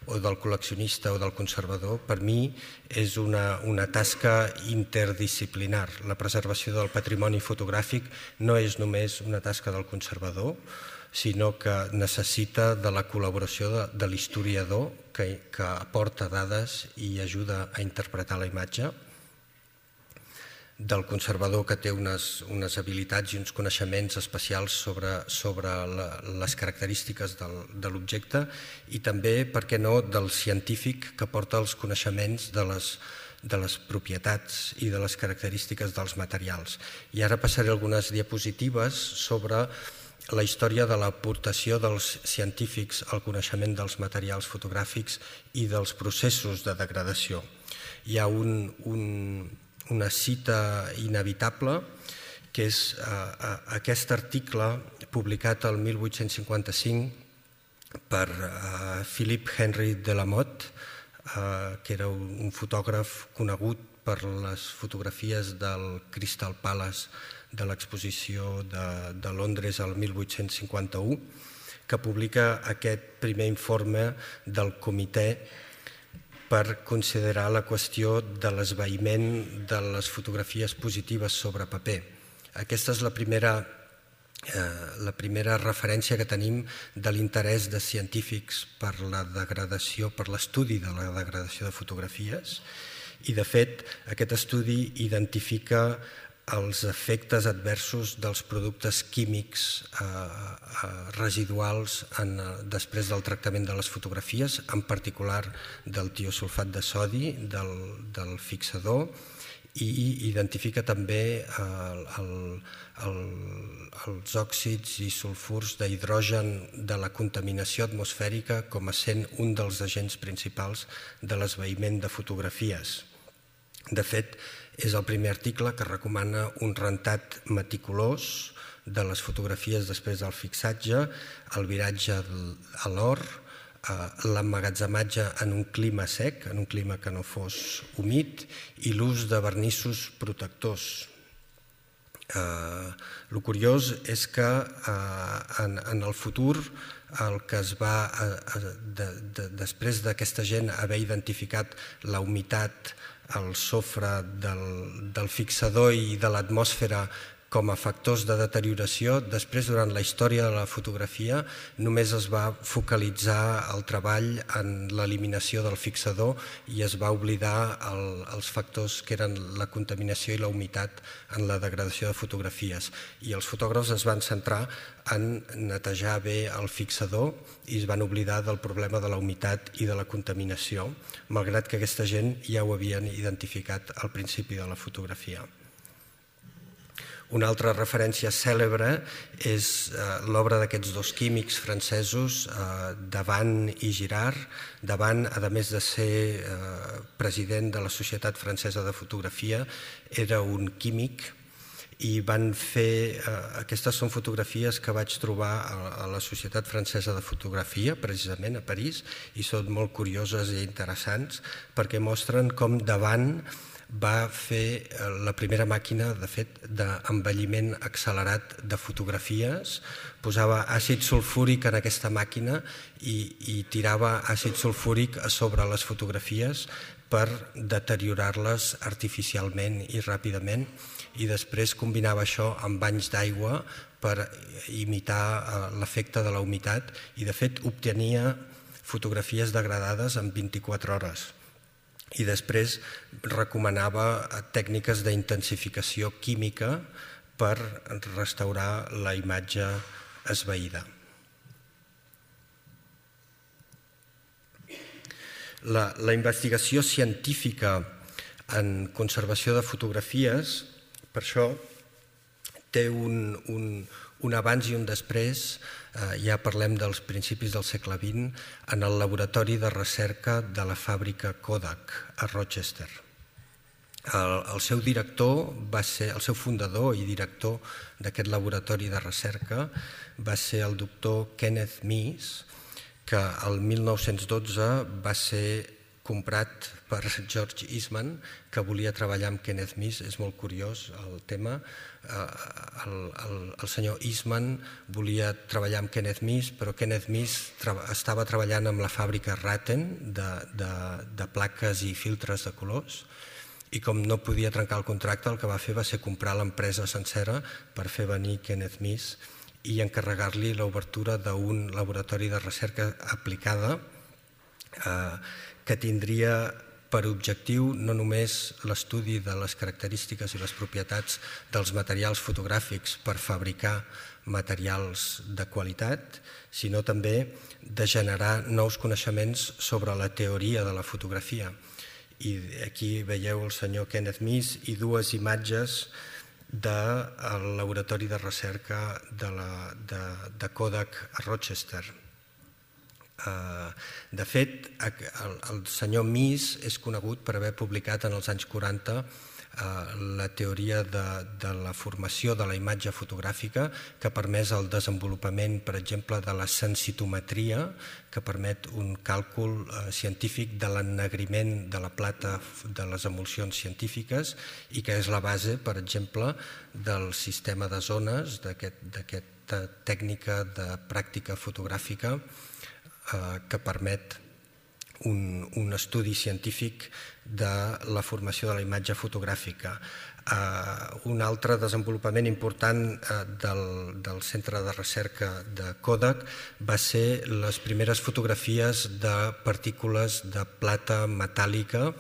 o del col·leccionista o del conservador. Per mi és una, una tasca interdisciplinar. La preservació del patrimoni fotogràfic no és només una tasca del conservador, sinó que necessita de la col·laboració de, de l'historiador que, que aporta dades i ajuda a interpretar la imatge, del conservador que té unes, unes habilitats i uns coneixements especials sobre, sobre la, les característiques del, de l'objecte, i també, per què no, del científic que porta els coneixements de les, de les propietats i de les característiques dels materials. I ara passaré algunes diapositives sobre la història de l'aportació dels científics al coneixement dels materials fotogràfics i dels processos de degradació. Hi ha un, un, una cita inevitable, que és eh, aquest article publicat el mil vuit-cents cinquanta-cinc per eh, Philippe Henry Delamotte, eh, que era un, un fotògraf conegut per les fotografies del Crystal Palace de l'exposició de, de Londres al mil vuit-cents cinquanta-u, que publica aquest primer informe del comitè per considerar la qüestió de l'esvaïment de les fotografies positives sobre paper. Aquesta és la primera, eh, la primera referència que tenim de l'interès de científics per la degradació, per l'estudi de la degradació de fotografies, i de fet aquest estudi identifica els efectes adversos dels productes químics eh, eh, residuals en, després del tractament de les fotografies, en particular del tiosulfat de sodi, del, del fixador, i identifica també el, el, el, els òxids i sulfurs d'hidrogen de la contaminació atmosfèrica com a sent un dels agents principals de l'esvaïment de fotografies. De fet, és el primer article que recomana un rentat meticulós de les fotografies després del fixatge, el viratge a l'or, l'emmagatzematge en un clima sec, en un clima que no fos humit, i l'ús de vernissos protectors. El curiós és que en el futur el que es va, després d'aquesta gent haver identificat la humitat, el sofre del, del fixador i de l'atmosfera com a factors de deterioració, després, durant la història de la fotografia, només es va focalitzar el treball en l'eliminació del fixador i es va oblidar el, els factors que eren la contaminació i la humitat en la degradació de fotografies. I els fotògrafs es van centrar en netejar bé el fixador i es van oblidar del problema de la humitat i de la contaminació, malgrat que aquesta gent ja ho havien identificat al principi de la fotografia. Una altra referència cèlebre és l'obra d'aquests dos químics francesos, Davant i Girard. Davant, a més de ser president de la Societat Francesa de Fotografia, era un químic i van fer... Aquestes són fotografies que vaig trobar a la Societat Francesa de Fotografia, precisament a París, i són molt curioses i interessants perquè mostren com Davant va fer la primera màquina, de fet, d'envelliment accelerat de fotografies. Posava àcid sulfúric en aquesta màquina i, i tirava àcid sulfúric a sobre les fotografies per deteriorar-les artificialment i ràpidament, i després combinava això amb banys d'aigua per imitar l'efecte de la humitat i, de fet, obtenia fotografies degradades en vint-i-quatre hores. I després recomanava tècniques d'intensificació química per restaurar la imatge esvaïda. La, la investigació científica en conservació de fotografies, per això, té un, un, un abans i un després. Ja parlem dels principis del segle vint, en el laboratori de recerca de la fàbrica Kodak a Rochester. El, el seu director va ser, el seu fundador i director d'aquest laboratori de recerca va ser el doctor Kenneth Mees, que el mil nou-cents dotze va ser comprat per George Eastman, que volia treballar amb Kenneth Myss. És molt curiós el tema. El, el, el senyor Eastman volia treballar amb Kenneth Myss, però Kenneth Myss tra estava treballant amb la fàbrica Ratten de, de, de plaques i filtres de colors, i com no podia trencar el contracte, el que va fer va ser comprar l'empresa sencera per fer venir Kenneth Myss i encarregar-li l'obertura d'un laboratori de recerca aplicada eh, que tindria per objectiu no només l'estudi de les característiques i les propietats dels materials fotogràfics per fabricar materials de qualitat, sinó també de generar nous coneixements sobre la teoria de la fotografia. I aquí veieu el senyor Kenneth Myss i dues imatges del laboratori de recerca de, la, de, de Kodak a Rochester. De fet, el, el senyor Myss és conegut per haver publicat en els anys quaranta la teoria de, de la formació de la imatge fotogràfica, que ha permès el desenvolupament, per exemple, de la sensitometria, que permet un càlcul eh, científic de l'ennegriment de la plata de les emulsions científiques i que és la base, per exemple, del sistema de zones, d'aquesta tècnica de pràctica fotogràfica eh, que permet Un, un estudi científic de la formació de la imatge fotogràfica. Uh, un altre desenvolupament important uh, del, del centre de recerca de Kodak va ser les primeres fotografies de partícules de plata metàl·lica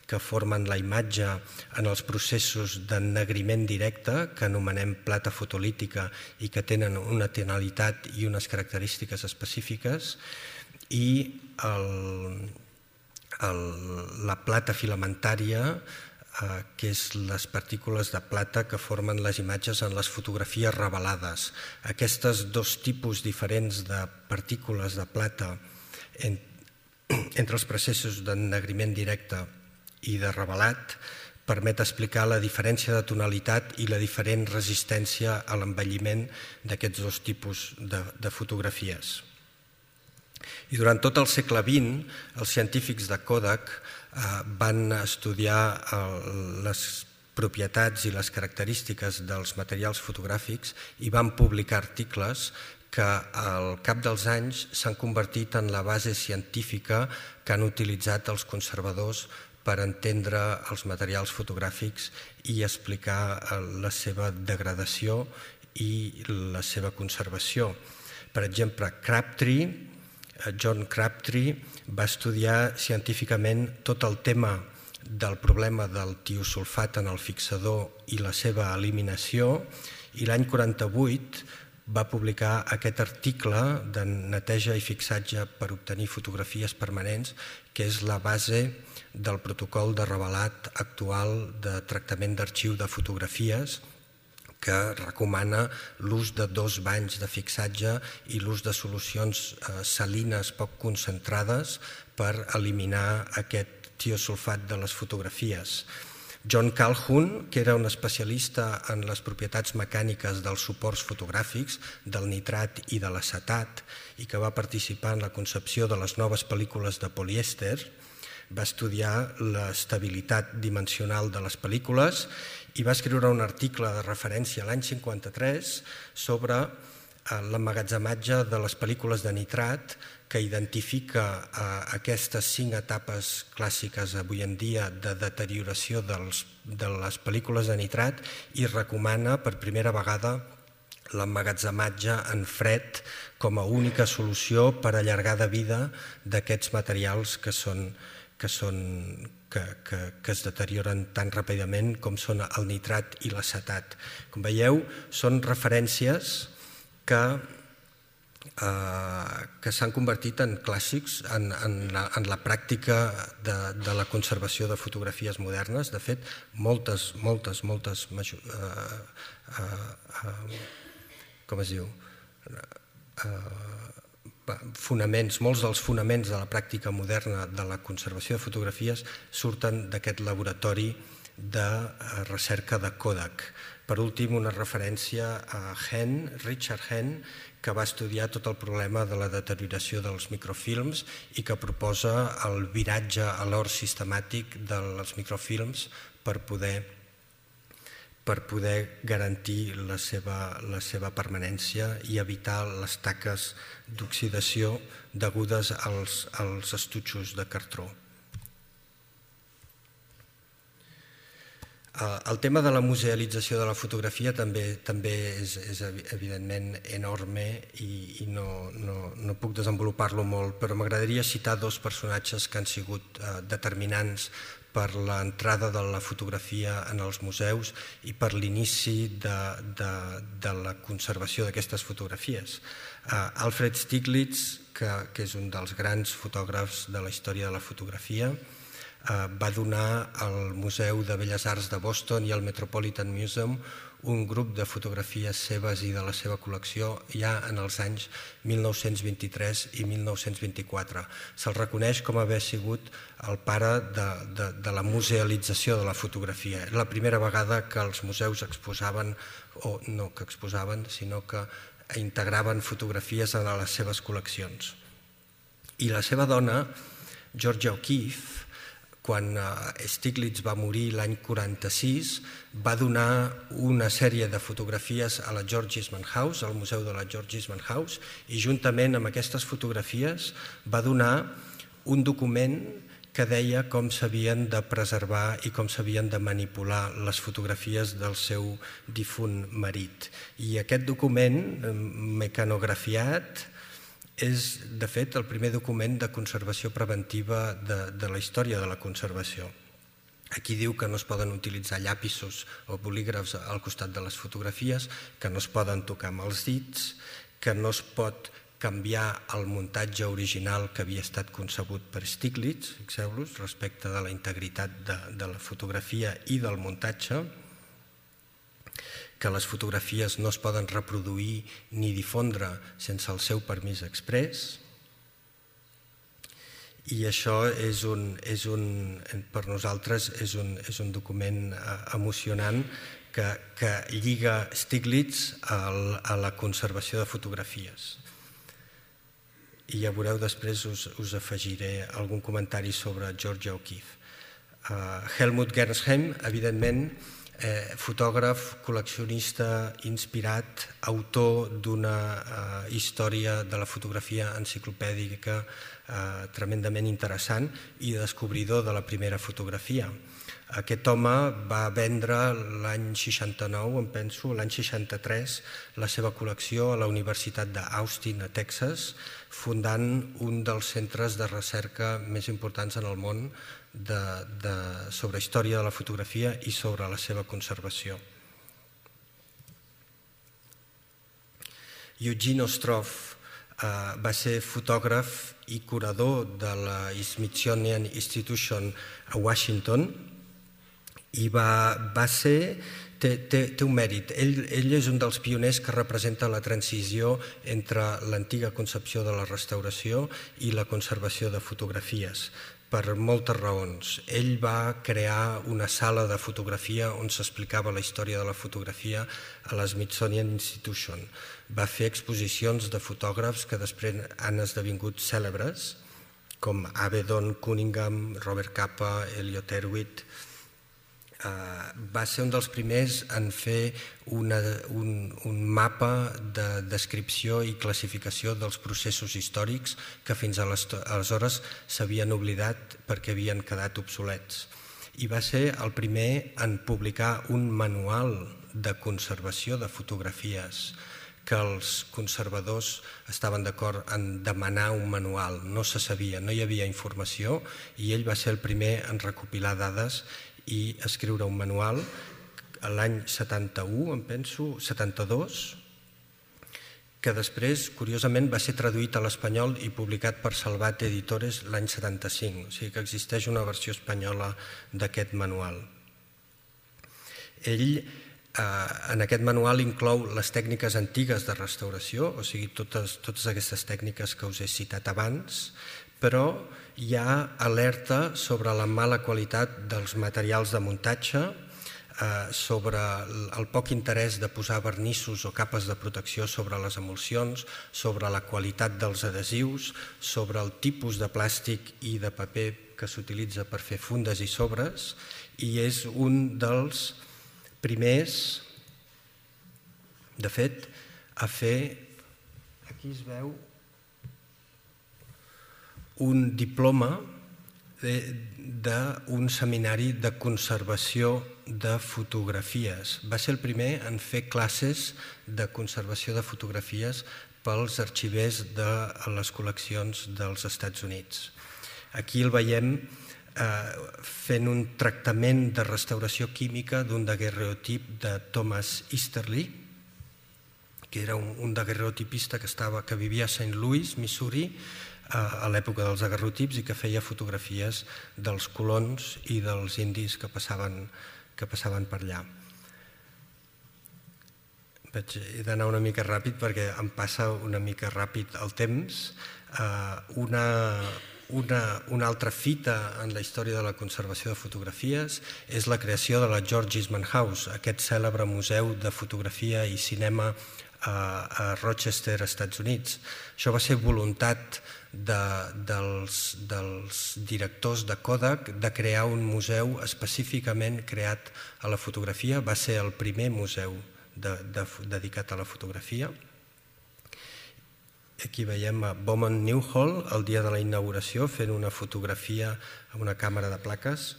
que formen la imatge en els processos d'ennegriment directe, que anomenem plata fotolítica i que tenen una tonalitat i unes característiques específiques, i el, el, la plata filamentària, eh, que és les partícules de plata que formen les imatges en les fotografies revelades. Aquests dos tipus diferents de partícules de plata en, entre els processos d'ennegriment directe i de revelat permet explicar la diferència de tonalitat i la diferent resistència a l'envelliment d'aquests dos tipus de, de fotografies. I durant tot el segle vint, els científics de Kodak eh, van estudiar eh, les propietats i les característiques dels materials fotogràfics i van publicar articles que al cap dels anys s'han convertit en la base científica que han utilitzat els conservadors per entendre els materials fotogràfics i explicar la seva degradació i la seva conservació. Per exemple, Crabtree, John Crabtree, va estudiar científicament tot el tema del problema del tiosulfat en el fixador i la seva eliminació, i l'any quaranta-vuit va publicar aquest article de neteja i fixatge per obtenir fotografies permanents, que és la base del protocol de revelat actual de tractament d'arxiu de fotografies, que recomana l'ús de dos banys de fixatge i l'ús de solucions salines poc concentrades per eliminar aquest tiosulfat de les fotografies. John Calhoun, que era un especialista en les propietats mecàniques dels suports fotogràfics, del nitrat i de l'acetat, i que va participar en la concepció de les noves pel·lícules de polièster, va estudiar l'estabilitat dimensional de les pel·lícules i va escriure un article de referència l'any cinquanta-tres sobre l'emmagatzematge de les pel·lícules de nitrat, que identifica aquestes cinc etapes clàssiques avui en dia de deterioració dels, de les pel·lícules de nitrat i recomana per primera vegada l'emmagatzematge en fred com a única solució per allargar de vida d'aquests materials que són que, són, que, que, que es deterioren tan ràpidament com són el nitrat i l'acetat. Com veieu, són referències que, eh, que s'han convertit en clàssics en, en, la, en la pràctica de, de la conservació de fotografies modernes. De fet, moltes, moltes, moltes... Eh, eh, eh, com es diu? Eh, fonaments, molts dels fonaments de la pràctica moderna de la conservació de fotografies surten d'aquest laboratori de recerca de Kodak. Per últim, una referència a Henn, Richard Henn, que va estudiar tot el problema de la deterioració dels microfilms i que proposa el viratge a l'or sistemàtic dels microfilms per poder, per poder garantir la seva, la seva permanència i evitar les taques d'oxidació degudes als, als estutxos de cartró. El tema de la musealització de la fotografia també, també és, és evidentment enorme i, i no, no, no puc desenvolupar-lo molt, però m'agradaria citar dos personatges que han sigut eh, determinants per l'entrada de la fotografia en els museus i per l'inici de, de, de la conservació d'aquestes fotografies. Uh, Alfred Stieglitz, que, que és un dels grans fotògrafs de la història de la fotografia, uh, va donar al Museu de Belles Arts de Boston i al Metropolitan Museum un grup de fotografies seves i de la seva col·lecció ja en els anys mil nou-cents vint-i-tres i mil nou-cents vint-i-quatre. Se'l reconeix com haver sigut el pare de, de, de la musealització de la fotografia. Era la primera vegada que els museus exposaven, o no que exposaven, sinó que integraven fotografies a les seves col·leccions. I la seva dona, Georgia O'Keeffe, quan Stieglitz va morir l'any quaranta-sis, va donar una sèrie de fotografies a la George Eastman House, al Museu de la George Eastman House, i juntament amb aquestes fotografies va donar un document que deia com s'havien de preservar i com s'havien de manipular les fotografies del seu difunt marit. I aquest document, mecanografiat, és, de fet, el primer document de conservació preventiva de, de la història de la conservació. Aquí diu que no es poden utilitzar llapisos o bolígrafs al costat de les fotografies, que no es poden tocar amb els dits, que no es pot canviar el muntatge original que havia estat concebut per Stieglitz, fixeu-vos, respecte de la integritat de, de la fotografia i del muntatge, que les fotografies no es poden reproduir ni difondre sense el seu permís exprés. I això és un, és un, per nosaltres és un, és un document emocionant que, que lliga Stieglitz al, a la conservació de fotografies. I ja veureu, després us, us afegiré algun comentari sobre Georgia O'Keeffe. Uh, Helmut Gernsheim, evidentment, Eh, fotògraf, col·leccionista, inspirat, autor d'una eh, història de la fotografia enciclopèdica eh, tremendament interessant i descobridor de la primera fotografia. Aquest home va vendre l'any seixanta-nou, em penso, l'any seixanta-tres, la seva col·lecció a la Universitat d'Austin, a Texas, fundant un dels centres de recerca més importants en el món De, de, sobre història de la fotografia i sobre la seva conservació. Eugene Ostroff eh, va ser fotògraf i curador de la Smithsonian Institution a Washington i va, va ser, té, té, té un mèrit. Ell, ell és un dels pioners que representa la transició entre l'antiga concepció de la restauració i la conservació de fotografies. Per moltes raons. Ell va crear una sala de fotografia on s'explicava la història de la fotografia a la Smithsonian Institution. Va fer exposicions de fotògrafs que després han esdevingut cèlebres, com Avedon Cunningham, Robert Capa, Elliot Erwitt. Uh, va ser un dels primers en fer una, un, un mapa de descripció i classificació dels processos històrics que fins aleshores s'havien oblidat perquè havien quedat obsolets. I va ser el primer en publicar un manual de conservació de fotografies, que els conservadors estaven d'acord en demanar un manual. No se sabia, no hi havia informació i ell va ser el primer en recopilar dades i escriure un manual l'any setanta-u, em penso, setanta-dos, que després, curiosament, va ser traduït a l'espanyol i publicat per Salvat Editores l'any setanta-cinc. O sigui que existeix una versió espanyola d'aquest manual. Ell, eh, en aquest manual, inclou les tècniques antigues de restauració, o sigui, totes, totes aquestes tècniques que us he citat abans, però hi ha alerta sobre la mala qualitat dels materials de muntatge, sobre el poc interès de posar vernissos o capes de protecció sobre les emulsions, sobre la qualitat dels adhesius, sobre el tipus de plàstic i de paper que s'utilitza per fer fundes i sobres, i és un dels primers, de fet, a fer, aquí es veu, un diploma d'un seminari de conservació de fotografies. Va ser el primer en fer classes de conservació de fotografies pels arxivers de les col·leccions dels Estats Units. Aquí el veiem fent un tractament de restauració química d'un daguerreotip de Thomas Easterly, que era un daguerreotipista que vivia a Saint Louis, Missouri, a l'època dels daguerreotips i que feia fotografies dels colons i dels indis que passaven que passaven per allà. He d'anar una mica ràpid perquè em passa una mica ràpid el temps. Una, una, una altra fita en la història de la conservació de fotografies és la creació de la George Eastman House, aquest cèlebre museu de fotografia i cinema a Rochester, Estats Units. Això va ser voluntat de, dels, dels directors de Kodak de crear un museu específicament creat a la fotografia. Va ser el primer museu de, de, dedicat a la fotografia. Aquí veiem a Bowman Newhall el dia de la inauguració fent una fotografia amb una càmera de plaques.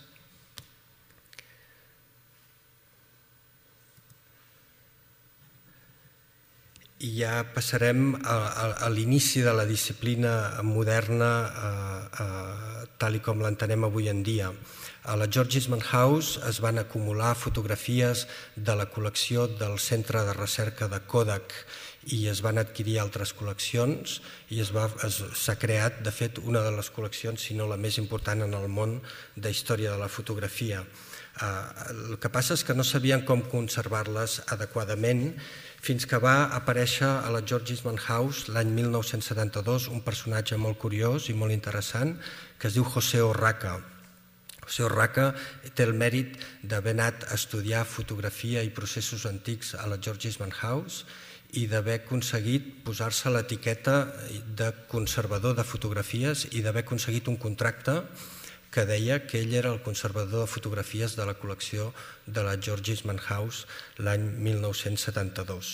I ja passarem a, a, a l'inici de la disciplina moderna a, a, tal com l'entenem avui en dia. A la George Eastman House es van acumular fotografies de la col·lecció del Centre de Recerca de Kodak i es van adquirir altres col·leccions i s'ha creat, de fet, una de les col·leccions, si no la més important en el món de història de la fotografia. El que passa és que no sabien com conservar-les adequadament fins que va aparèixer a la George Eastman House l'any mil nou-cents setanta-dos un personatge molt curiós i molt interessant que es diu José Orraca. José Orraca té el mèrit d'haver anat a estudiar fotografia i processos antics a la George Eastman House i d'haver aconseguit posar-se l'etiqueta de conservador de fotografies i d'haver aconseguit un contracte que deia que ell era el conservador de fotografies de la col·lecció de la George Eastman House l'any mil nou-cents setanta-dos.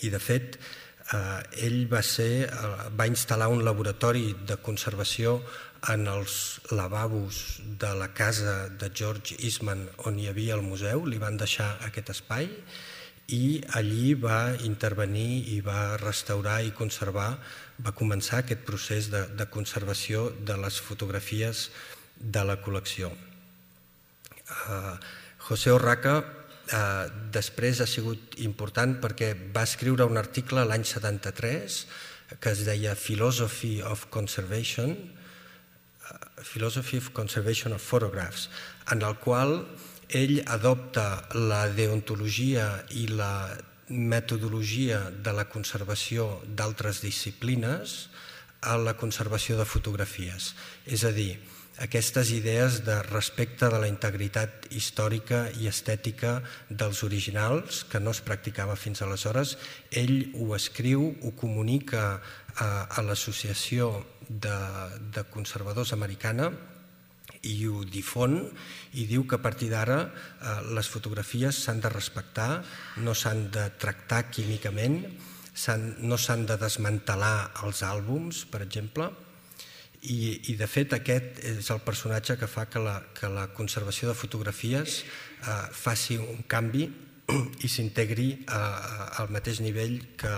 I de fet, ell va, ser, va instal·lar un laboratori de conservació en els lavabos de la casa de George Eastman on hi havia el museu, li van deixar aquest espai i allí va intervenir i va restaurar i conservar, va començar aquest procés de, de conservació de les fotografies de la col·lecció. Uh, José Orraca uh, després ha sigut important perquè va escriure un article l'any setanta-tres que es deia Philosophy of Conservation, uh, Philosophy of Conservation of Photographs, en el qual ell adopta la deontologia i la metodologia de la conservació d'altres disciplines a la conservació de fotografies. És a dir, aquestes idees de respecte de la integritat històrica i estètica dels originals, que no es practicava fins aleshores, ell ho escriu, ho comunica a, a l'Associació de, de Conservadors Americana i ho difon i diu que a partir d'ara eh, les fotografies s'han de respectar, no s'han de tractar químicament, no s'han de desmantelar els àlbums, per exemple, i, i de fet aquest és el personatge que fa que la, que la conservació de fotografies eh, faci un canvi i s'integri al mateix nivell que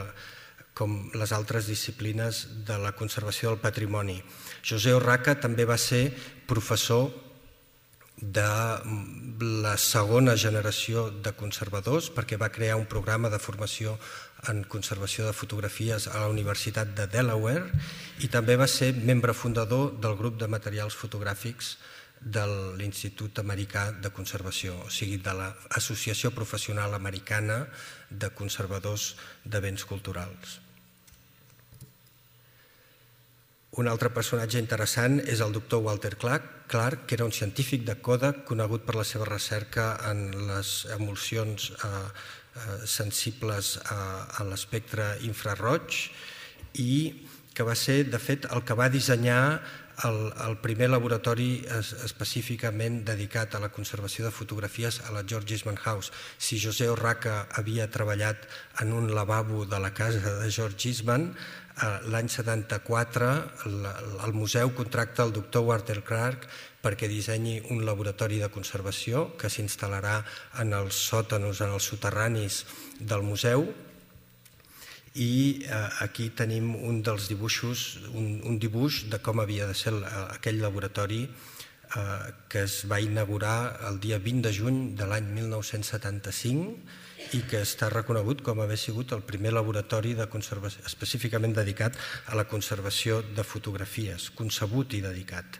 com les altres disciplines de la conservació del patrimoni. José Orraca també va ser professor de la segona generació de conservadors perquè va crear un programa de formació en conservació de fotografies a la Universitat de Delaware i també va ser membre fundador del grup de materials fotogràfics de l'Institut Americà de Conservació, o sigui, de l'Associació Professional Americana de Conservadors de Béns Culturals. Un altre personatge interessant és el doctor Walter Clark, Clark, que era un científic de Kodak conegut per la seva recerca en les emulsions eh, eh, sensibles a, a l'espectre infraroig i que va ser, de fet, el que va dissenyar el, el primer laboratori es, específicament dedicat a la conservació de fotografies a la George Eastman House. Si José Urraca havia treballat en un lavabo de la casa de George Eastman, l'any setanta-quatre el museu contracta el doctor Walter Clark perquè dissenyi un laboratori de conservació que s'instal·larà en els sòtanos, en els soterranis del museu. I aquí tenim un dels dibuixos, un, un dibuix de com havia de ser aquell laboratori que es va inaugurar el dia vint de juny de l'any mil nou-cents setanta-cinc i que està reconegut com haver sigut el primer laboratori de conservació, específicament dedicat a la conservació de fotografies, concebut i dedicat.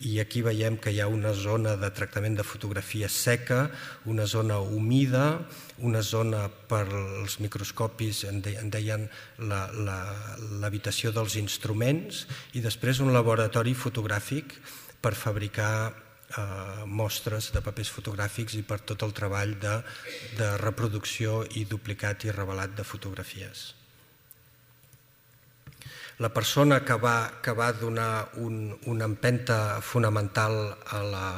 I aquí veiem que hi ha una zona de tractament de fotografia seca, una zona humida, una zona per als microscopis, en deien l'habitació dels instruments, i després un laboratori fotogràfic per fabricar mostres de papers fotogràfics i per tot el treball de, de reproducció i duplicat i revelat de fotografies. La persona que va, que va donar un, una empenta fonamental a la,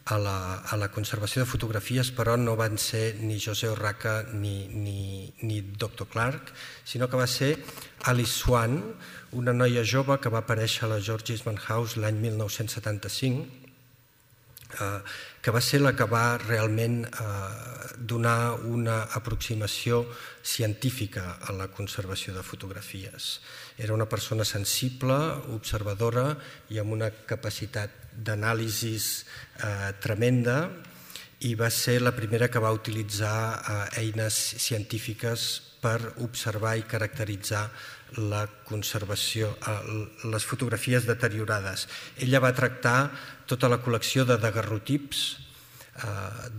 a, la, a la conservació de fotografies, però no van ser ni José Urraca ni, ni, ni doctor Clark, sinó que va ser Alice Swan, una noia jove que va aparèixer a la George Eastman House l'any mil nou-cents setanta-cinc, que va ser la que va realment donar una aproximació científica a la conservació de fotografies. Era una persona sensible, observadora i amb una capacitat d'anàlisi tremenda i va ser la primera que va utilitzar eines científiques per observar i caracteritzar la conservació, les fotografies deteriorades. Ella va tractar tota la col·lecció de daguerrotips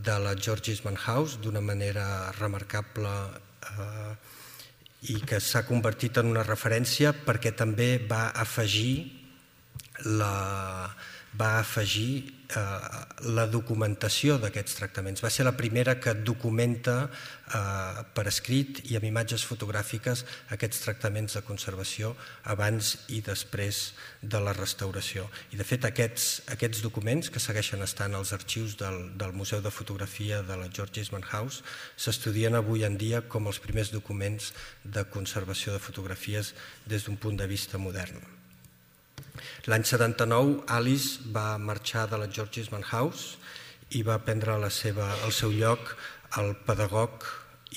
de la George Eastman House d'una manera remarcable i que s'ha convertit en una referència perquè també va afegir la, va afegir la documentació d'aquests tractaments. Va ser la primera que documenta per escrit i amb imatges fotogràfiques aquests tractaments de conservació abans i després de la restauració. I de fet aquests, aquests documents que segueixen estant als arxius del, del Museu de Fotografia de la George Eastman House s'estudien avui en dia com els primers documents de conservació de fotografies des d'un punt de vista modern. L'any setanta-nou, Alice va marxar de la George Eastman House i va prendre la seva, el seu lloc el pedagog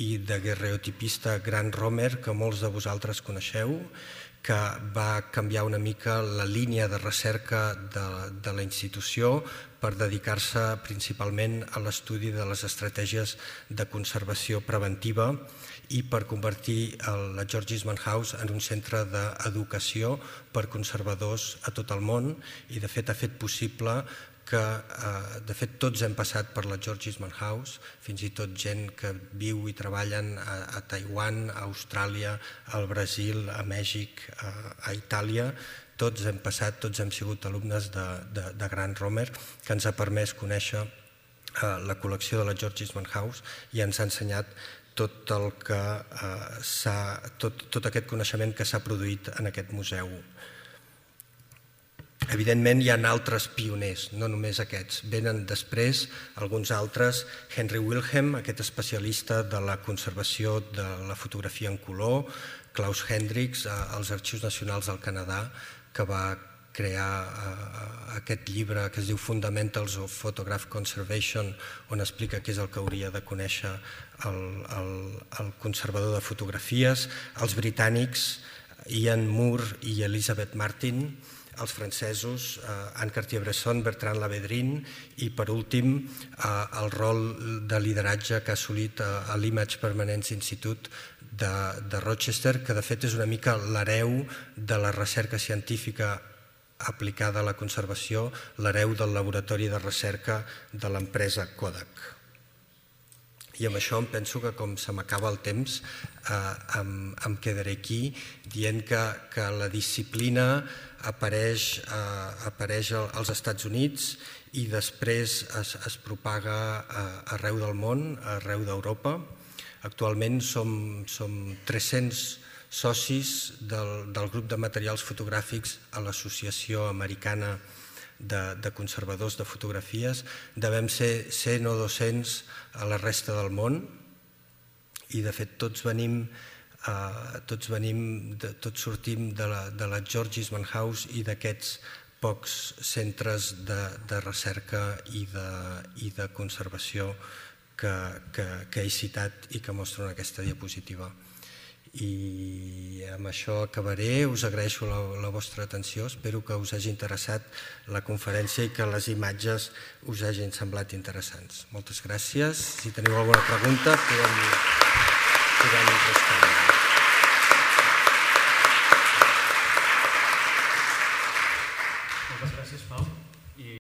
i daguerreotipista Grant Romer, que molts de vosaltres coneixeu, que va canviar una mica la línia de recerca de, de la institució per dedicar-se principalment a l'estudi de les estratègies de conservació preventiva i per convertir la George Eastman House en un centre d'educació per conservadors a tot el món i de fet ha fet possible que de fet tots hem passat per la George Eastman House, fins i tot gent que viu i treballen a Taiwan, a Austràlia, al Brasil, a Mèxic, a Itàlia. Tots hem passat, tots hem sigut alumnes de, de, de Grant Romer, que ens ha permès conèixer la col·lecció de la George Eastman House i ens ha ensenyat tot, el que, s'ha, tot, tot aquest coneixement que s'ha produït en aquest museu. Evidentment hi ha altres pioners, no només aquests. Venen després alguns altres, Henry Wilhelm, aquest especialista de la conservació de la fotografia en color, Klaus Hendricks, als Arxius Nacionals del Canadà, que va crear aquest llibre que es diu Fundamentals of Photograph Conservation, on explica què és el que hauria de conèixer el, el, el conservador de fotografies, els britànics, Ian Moore i Elizabeth Martin, els francesos, Anne Cartier-Bresson, Bertrand Lavedrine i, per últim, el rol de lideratge que ha assolit l'Image Permanence Institute de, de Rochester, que de fet és una mica l'hereu de la recerca científica aplicada a la conservació, l'hereu del laboratori de recerca de l'empresa Kodak. I amb això em penso que, com se m'acaba el temps, eh, em, em quedaré aquí dient que, que la disciplina apareix, eh, apareix als Estats Units i després es, es propaga eh, arreu del món, arreu d'Europa. Actualment som, som tres-cents socis del, del grup de materials fotogràfics a l'Associació Americana de, de Conservadors de Fotografies. Devem ser cent o dos-cents a la resta del món i de fet tots venim, eh, tots, venim de, tots sortim de la, de la George Eastman House i d'aquests pocs centres de, de recerca i de, i de conservació que, que, que he citat i que mostro en aquesta diapositiva. I amb això acabaré, us agraeixo la, la vostra atenció, espero que us hagi interessat la conferència i que les imatges us hagin semblat interessants. Moltes gràcies, si teniu alguna pregunta podem, podem respondre. Moltes gràcies, Pau.